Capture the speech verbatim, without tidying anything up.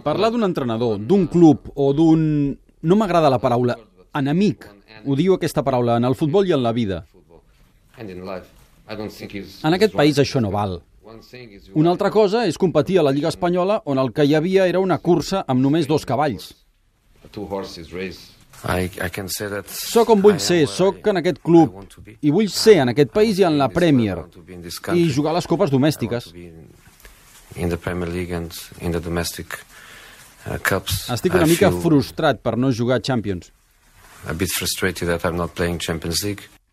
Parlar d'un entrenador, d'un club o d'un... No m'agrada la paraula enemic. Odio aquesta paraula en el futbol i en la vida. En aquest país això no val. Una altra cosa és competir a la Lliga Espanyola on el que hi havia era una cursa amb només dos cavalls. Soc on vull ser, soc en aquest club i vull ser en aquest país i en la Premier i jugar a les copes domèstiques. Estic una mica frustrat per no jugar a Champions. A bit frustrated that I'm not playing Champions League.